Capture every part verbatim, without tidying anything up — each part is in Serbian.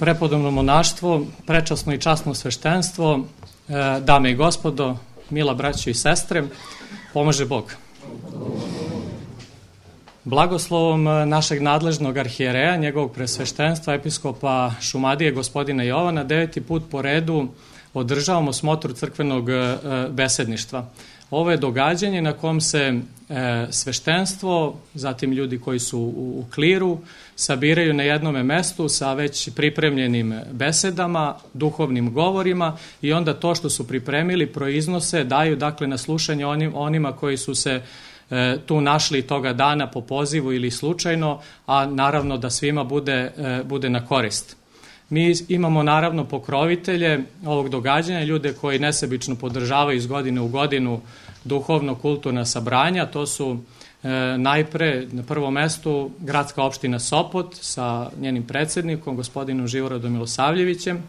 Prepodobno monaštvo, prečasno i časno sveštenstvo, dame i gospodo, mila braćo i sestre, pomaže Bog. Blagoslovom našeg nadležnog arhijereja, njegovog presveštenstva, episkopa Šumadije, gospodina Jovana, deveti put po redu održavamo smotru crkvenog besedništva. Ovo je događanje na kom se sveštenstvo, zatim ljudi koji su u kliru, sabiraju na jednome mestu sa već pripremljenim besedama, duhovnim govorima i onda to što su pripremili proiznose, daju dakle na slušanje onim, onima koji su se e, tu našli toga dana po pozivu ili slučajno, a naravno da svima bude, e, bude na korist. Mi imamo naravno pokrovitelje ovog događanja, ljude koji nesebično podržavaju iz godine u godinu duhovno-kulturna sabranja. To su e, najpre na prvom mestu gradska opština Sopot sa njenim predsednikom, gospodinom Živorodom Milosavljevićem,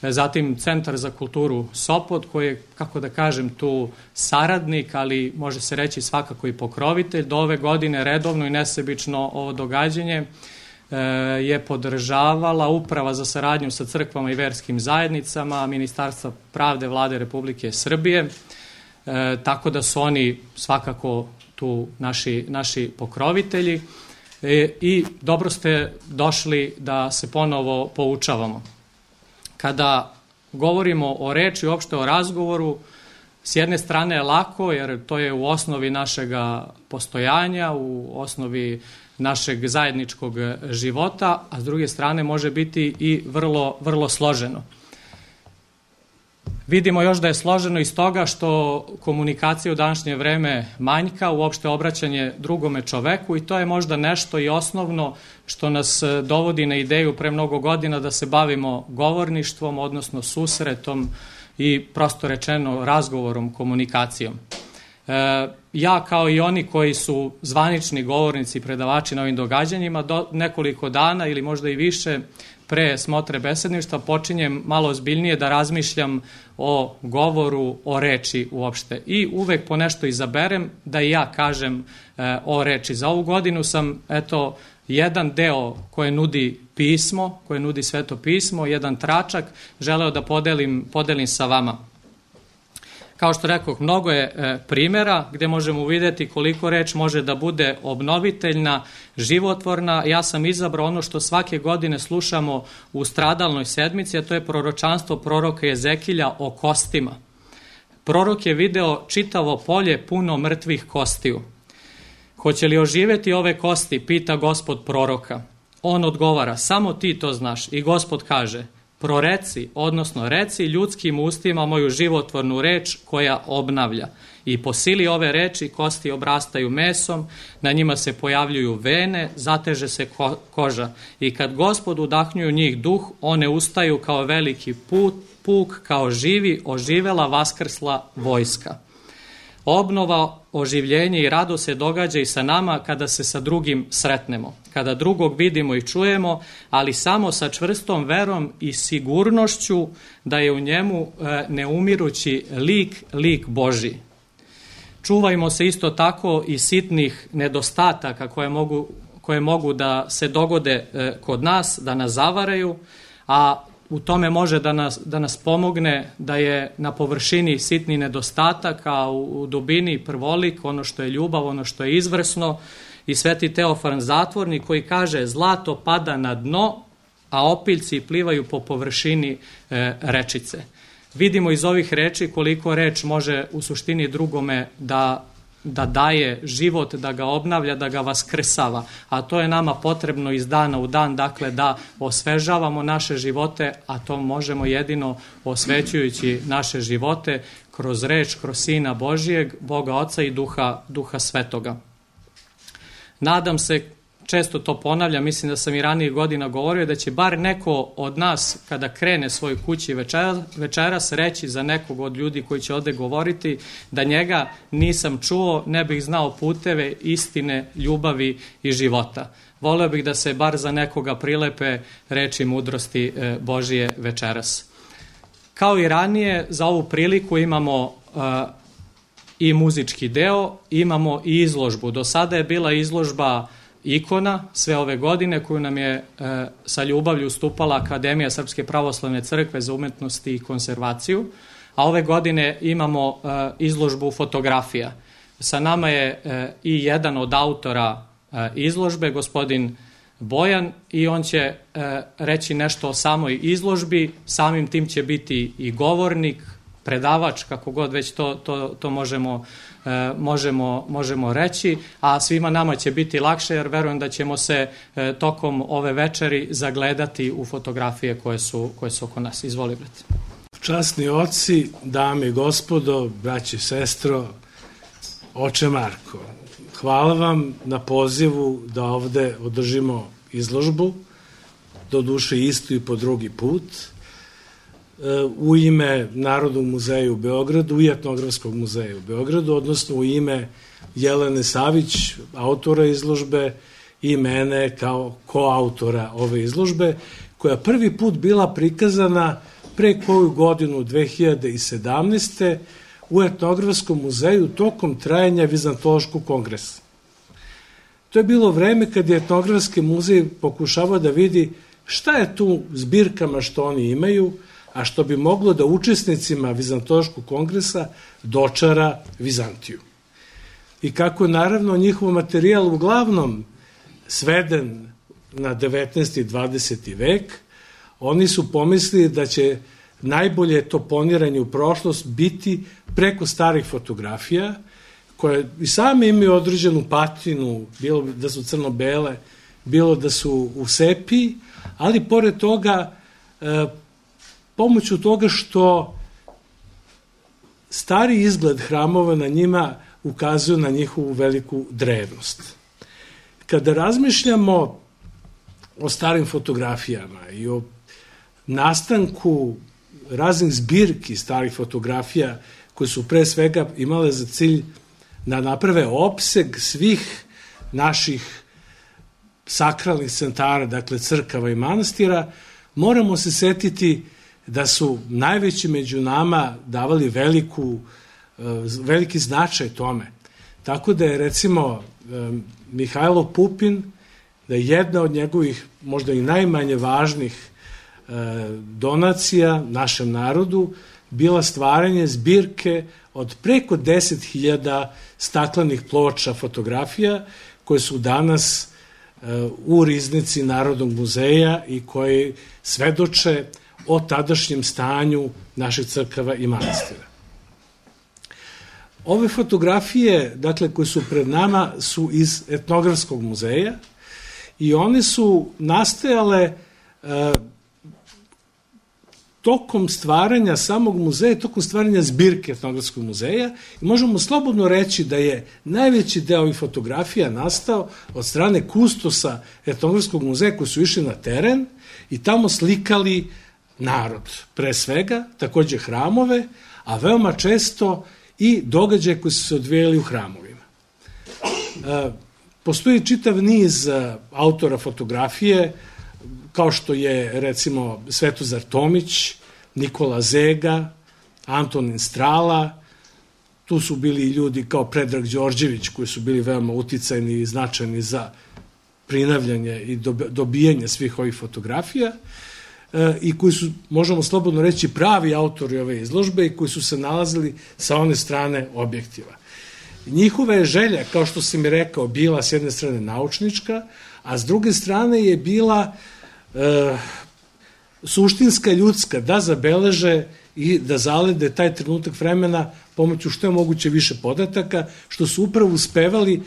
e, zatim Centar za kulturu Sopot koji je, kako da kažem, tu saradnik, ali može se reći svakako i pokrovitelj. Do ove godine redovno i nesebično ovo događanje je podržavala Uprava za saradnju sa crkvama i verskim zajednicama Ministarstva pravde Vlade Republike Srbije, e, tako da su oni svakako tu naši, naši pokrovitelji e, i dobro ste došli da se ponovo poučavamo. Kada govorimo o reči, uopšte o razgovoru, s jedne strane je lako, jer to je u osnovi našega postojanja, u osnovi našeg zajedničkog života, a s druge strane može biti i vrlo, vrlo složeno. Vidimo još da je složeno iz toga što komunikacija u današnje vreme manjka, uopšte obraćanje drugome čoveku i to je možda nešto i osnovno što nas dovodi na ideju pre mnogo godina da se bavimo govorništvom, odnosno susretom i prosto rečeno razgovorom, komunikacijom. E, ja kao i oni koji su zvanični govornici i predavači na ovim događanjima, do nekoliko dana ili možda i više pre smotre besedništva počinjem malo ozbiljnije da razmišljam o govoru, o reči uopšte. I uvek po nešto izaberem da i ja kažem e, o reči. Za ovu godinu sam, eto, jedan deo koje nudi pismo, koje nudi Sveto pismo, jedan tračak, želeo da podelim, podelim sa vama. Kao što rekoh, mnogo je e, primjera gde možemo uvideti koliko reč može da bude obnoviteljna, životvorna. Ja sam izabrao ono što svake godine slušamo u stradalnoj sedmici, a to je proročanstvo proroka Jezekilja o kostima. Prorok je video čitavo polje puno mrtvih kostiju. Hoće li oživeti ove kosti, pita Gospod proroka. On odgovara, samo ti to znaš. I Gospod kaže, proreci, odnosno reci ljudskim ustima moju životvornu reč koja obnavlja. I po sili ove reči kosti obrastaju mesom, na njima se pojavljuju vene, zateže se ko- koža. I kad Gospod udahnju u njih duh, one ustaju kao veliki put, puk, kao živi, oživela, vaskrsla vojska. Obnova, oživljenje i rado se događa i sa nama kada se sa drugim sretnemo, kada drugog vidimo i čujemo, ali samo sa čvrstom verom i sigurnošću da je u njemu neumirući lik, lik Božji. Čuvajmo se isto tako i sitnih nedostataka koje mogu, koje mogu da se dogode kod nas, da nas zavaraju, a u tome može da nas, da nas pomogne da je na površini sitni nedostatak, a u, u dubini prvolik, ono što je ljubav, ono što je izvrsno. I Sveti Teofan Zatvornik koji kaže zlato pada na dno, a opiljci plivaju po površini e, rečice. Vidimo iz ovih reči koliko reč može u suštini drugome da da daje život, da ga obnavlja, da ga vaskrsava. A to je nama potrebno iz dana u dan, dakle da osvežavamo naše živote, a to možemo jedino osvećujući naše živote kroz reč, kroz Sina Božijeg, Boga Oca i Duha, Duha Svetoga. Nadam se, često to ponavljam, mislim da sam i ranijih godina govorio, da će bar neko od nas kada krene svoj kući večeras, večeras reći za nekog od ljudi koji će ovde govoriti da njega nisam čuo, ne bih znao puteve istine, ljubavi i života. Voleo bih da se bar za nekoga prilepe reči mudrosti Božije večeras. Kao i ranije, za ovu priliku imamo uh, i muzički deo, imamo i izložbu. Do sada je bila izložba ikona sve ove godine koju nam je sa ljubavlju ustupala Akademija Srpske pravoslavne crkve za umetnost i konzervaciju, a ove godine imamo izložbu fotografija. Sa nama je i jedan od autora izložbe, gospodin Bojan, i on će reći nešto o samoj izložbi, samim tim će biti i govornik, predavač, kako god već to, to, to možemo, možemo, možemo reći, a svima nama će biti lakše jer verujem da ćemo se tokom ove večeri zagledati u fotografije koje su, koje su oko nas. Izvoli, brate. Časni oci, dame i gospodo, braće i sestro, oče Marko, hvala vam na pozivu da ovde održimo izložbu, do duše istu i po drugi put, u ime Narodnog muzeja u Beogradu i Etnografskog muzeja u Beogradu, odnosno u ime Jelene Savić, autora izložbe, i mene kao koautora ove izložbe, koja prvi put bila prikazana pre koju godinu, dve hiljade sedamnaeste. u Etnografskom muzeju tokom trajanja Vizantološkog kongresa. To je bilo vreme kad je Etnografski muzej pokušavao da vidi šta je tu zbirkama što oni imaju, a što bi moglo da učesnicima Vizantološkog kongresa dočara Vizantiju. I kako je naravno njihov materijal uglavnom sveden na devetnaesti i dvadeseti vek, oni su pomislili da će najbolje to poniranje u prošlost biti preko starih fotografija, koje i same imaju određenu patinu, bilo da su crno-bele, bilo da su u sepiji, ali pored toga, pomoću toga što stari izgled hramova na njima ukazuju na njihovu veliku drevnost. Kada razmišljamo o starim fotografijama i o nastanku raznih zbirki starih fotografija koje su pre svega imale za cilj da naprave opseg svih naših sakralnih centara, dakle crkava i manastira, moramo se setiti da su najveći među nama davali veliku, veliki značaj tome. Tako da je recimo Mihajlo Pupin, da je jedna od njegovih možda i najmanje važnih donacija našem narodu bila stvaranje zbirke od preko deset hiljada staklenih ploča fotografija koje su danas u riznici Narodnog muzeja i koje svedoče o tadašnjem stanju naših crkava i manastira. Ove fotografije, dakle, koje su pred nama, su iz Etnografskog muzeja i one su nastajale tokom stvaranja samog muzeja, tokom stvaranja zbirke Etnografskog muzeja, i možemo slobodno reći da je najveći deo ovih fotografija nastao od strane kustosa Etnografskog muzeja koji su išli na teren i tamo slikali narod, pre svega, takođe hramove, a veoma često i događaje koji su se odvijali u hramovima. Postoji čitav niz autora fotografije, kao što je, recimo, Svetozar Tomić, Nikola Zega, Antonin Strala, tu su bili i ljudi kao Predrag Đorđević, koji su bili veoma uticajni i značajni za prinavljanje i dobijanje svih ovih fotografija, i koji su, možemo slobodno reći, pravi autori ove izložbe i koji su se nalazili sa one strane objektiva. Njihova je želja, kao što sam mi rekao, bila s jedne strane naučnička, a s druge strane je bila e, suštinska, ljudska, da zabeleže i da zalede taj trenutak vremena pomoću što je moguće više podataka, što su upravo uspevali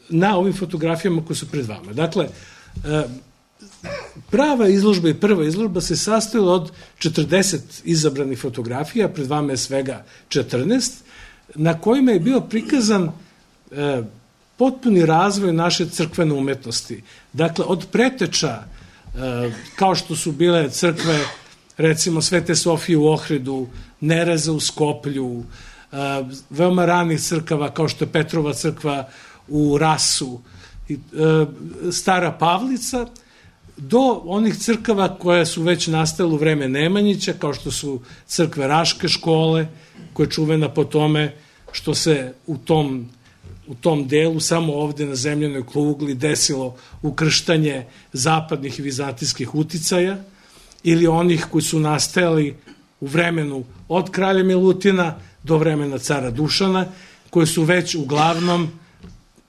na ovim fotografijama koje su pred vama. Dakle, e, prava izložba i prva izložba se sastojila od četrdeset izabranih fotografija, pred vama je svega četrnaest, na kojima je bio prikazan e, potpuni razvoj naše crkvene umetnosti. Dakle, od preteča, e, kao što su bile crkve, recimo Svete Sofije u Ohridu, Nereza u Skoplju, e, veoma ranih crkava kao što je Petrova crkva u Rasu, e, Stara Pavlica, do onih crkava koje su već nastale u vreme Nemanjića, kao što su crkve Raške škole, koja je čuvena po tome što se u tom u tom delu samo ovde na zemljanoj kugli desilo ukrštanje zapadnih i vizantijskih uticaja ili onih koji su nastajali u vremenu od kralja Milutina do vremena cara Dušana, koji su već uglavnom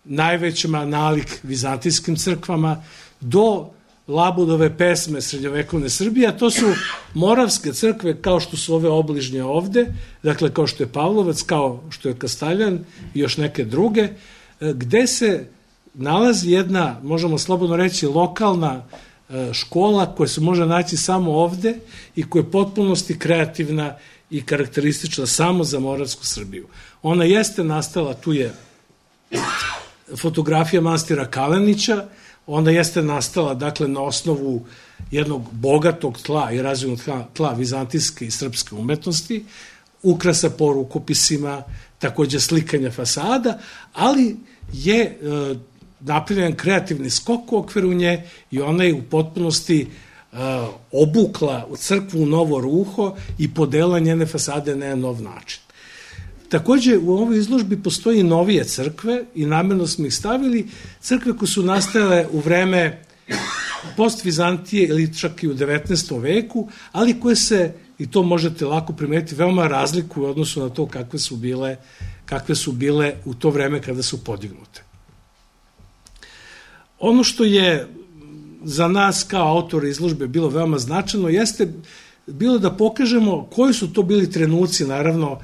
najvećima nalik vizantijskim crkvama, do Labudove pesme srednjovekovne Srbije, a to su moravske crkve kao što su ove obližnje ovde, dakle kao što je Pavlovac, kao što je Kastaljan i još neke druge, gde se nalazi jedna, možemo slobodno reći, lokalna škola koja se može naći samo ovde i koja je potpunosti kreativna i karakteristična samo za moravsku Srbiju. Ona jeste nastala, tu je fotografija manastira Kalenića, ona jeste nastala, dakle, na osnovu jednog bogatog tla i razvojnog tla, tla vizantijske i srpske umetnosti, ukrasa po rukopisima, takođe slikanja fasada, ali je e, napravljen kreativni skok u okviru nje i ona je u potpunosti e, obukla u crkvu u novo ruho i podela njene fasade na nov način. Takođe, u ovoj izložbi postoji novije crkve i namjerno smo ih stavili, crkve koje su nastajale u vreme post-Vizantije ili čak i u devetnaestom veku, ali koje se, i to možete lako primetiti, veoma razlikuju u odnosu na to kakve su bile, kakve su bile u to vreme kada su podignute. Ono što je za nas kao autora izložbe bilo veoma značajno jeste bilo da pokažemo koji su to bili trenuci, naravno,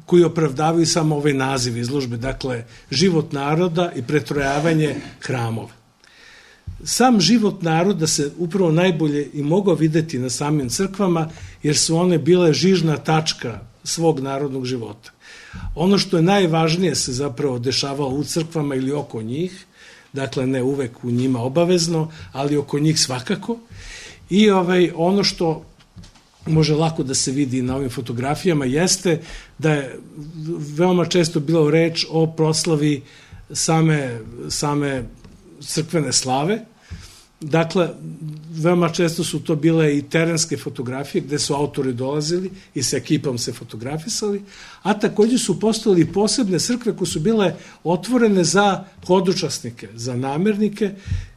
koji opravdavaju samo ovaj naziv izložbe, dakle, život naroda i pretrojavanje hramova. Sam život naroda se upravo najbolje i mogao videti na samim crkvama, jer su one bile žižna tačka svog narodnog života. Ono što je najvažnije se zapravo dešavalo u crkvama ili oko njih, dakle, ne uvek u njima obavezno, ali oko njih svakako, i ovaj, ono što može lako da se vidi na ovim fotografijama, jeste da je veoma često bilo reč o proslavi same, same crkvene slave. Dakle, veoma često su to bile i terenske fotografije gde su autori dolazili i sa ekipom se fotografisali, a takođe su postojali posebne crkve koje su bile otvorene za hodočasnike, za namernike,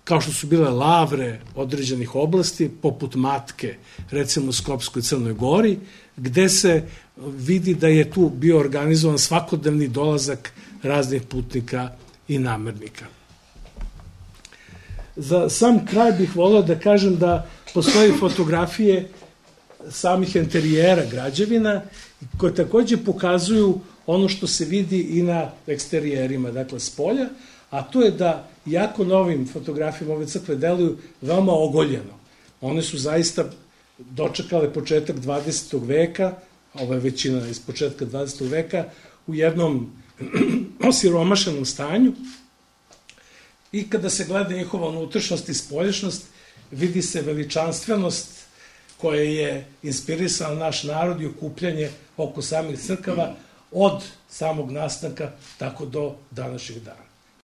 kao što su bile lavre određenih oblasti, poput Matke, recimo u Skopskoj Crnoj Gori, gde se vidi da je tu bio organizovan svakodnevni dolazak raznih putnika i namernika. Za sam kraj bih voleo da kažem da postoje fotografije samih interijera građevina koje takođe pokazuju ono što se vidi i na eksterijerima, dakle s polja, a to je da jako novim fotografijama ove crkve deluju veoma ogoljeno. One su zaista dočekale početak dvadesetog veka, ova je većina iz početka dvadesetog veka, u jednom osiromašenom stanju, i kada se gleda njihova unutrašnjost i spolješnost, vidi se veličanstvenost koja je inspirisala naš narod i okupljanje oko samih crkava od samog nastanka tako do današnjih dana.